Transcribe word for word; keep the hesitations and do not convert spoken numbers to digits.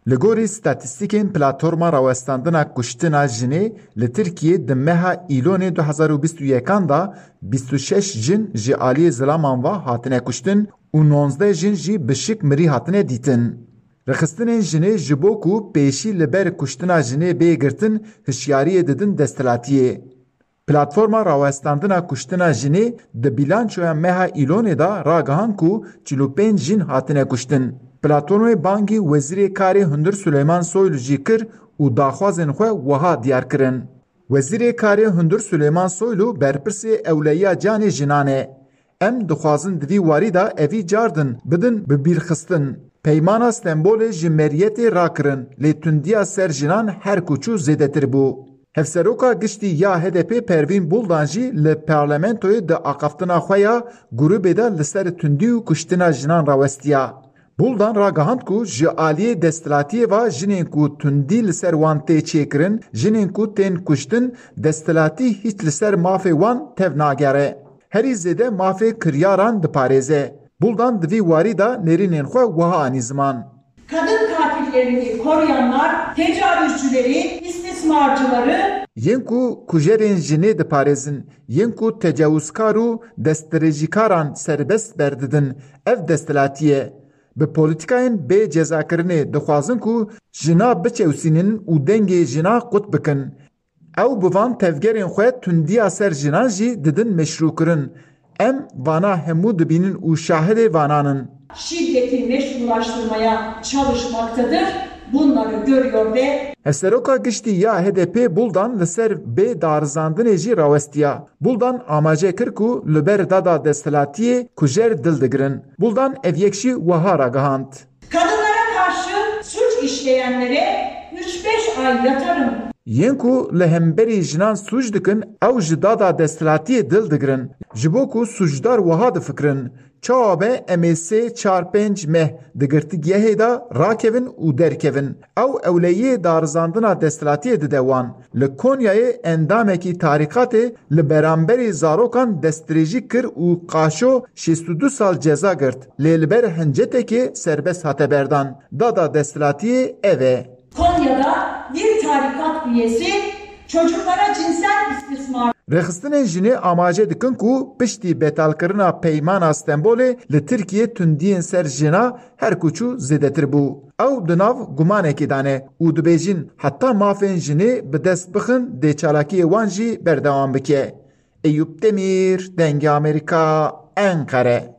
Li gorî statîstîkên Platforma Rawestandina Kuştina Jinê, li Tirkiyê di meha Îlonê du hezar û bîst û yekan de bîst û şeş jin ji aliyê zilaman ve hatine kuştin û nozdeh jin jî bi şik mirî hatine dîtin. Rêxistinên jinê ji bo ku pêşî li ber kuştina jinê bê girtin, hişyariyê didin desthilatiyê. Platforma Rawestandina Kuştina Jinê di bîlançoya meha Îlonê de ragihand ku çil û pênc jin hatine kuştin. Platformê bangî Wezîrê Karê Hundir Suleyman Soylu jî kir û daxwazên xwe wiha diyar kirin. Wezîrê Karê Hundir Suleyman Soylu berpirsê ewleyiya canê jinan e. Em dixwazin di vî warî de evî cardin bidin bibîrxistin. Peymana Stenbolê ji meriyetê rakirin, lê tundiya ser jinan her ku çû zêdetir bû. Hevseroka Giştî ya H D P Pervîn Buldan jî li parlamentoyê di axaftina xwe ya grûbê de li ser tundî û kuştina jinan rawestiya. Buldan ragihand ku ji aliyê desthilatiyê ve jinên ku tundî li ser wan tê çêkirin, jinên ku tên kuştin, desthilatî hîç li ser mafê wan tev nagere. Herî zêde mafê kiryaran diparêze. Buldan di vî warî de nêrînên xwe wiha anî ziman. Kadın katillerini koruyanlar, tecavüzcüleri, istismarcıları Yên ku kujerên jinê diparêzin, yên ku tecawizkar û destdirêjîkaran serbest berdidin, ev desthilatî ye. Bi polîtîkayên bê cezakirinê dixwazin ku jina biçewsînin û dengê jina qut bikin. Ew bi van tevgerên xwe tundiya ser jinan jî didin meşrûkirin. Em vana hemû dibînin û şahidê vanan in. Şiddeti meşrulaştırmaya çalışmaktadır. Bunları görüyor ve Hevseroka Giştî ya H D P Buldan li ser bê darizandinê jî rawestiya. Buldan amaje kir ku li ber dada desthilatiyê kujer dil digirin. Buldan ev yek jî wiha ragihand. Kadınlara karşı suç işleyenlere üç beş ay yatarım. Yên ku li hemberî jinan sûc dikin, ew ji dada desthilatiyê dil digirin. Ji bo ku sûcdar wiha difikirin, çawa be em ê sê, çar, pênc meh di girtîgehê de rakevin û derkevin. Ew ewleyiyê darizandina desthilatiyê dide wan. Li Konyayê endamekî tarîkatê li beramberî zarokan destdirêjî kir û qaşo şêst û du sal ceza girt, lê li ber hincetekê serbest hate berdan. Dada desthilatiyê ev e. Konya'da bir tarikat üyesi çocuklara cinsel istismar Rêxistinên jinê amaje dikin ku piştî betalkirina Peymana Stenbolê li Tirkiyê tundiyên ser jina her ku çû zêdetir bû. Ew di nav gumanekê de ne û dibêjin heta mafên jinê bi dest bixin dê çalakiyê wan jî berdewam bike. Eyûp Demîr, Dengê Amerîka, Enqere.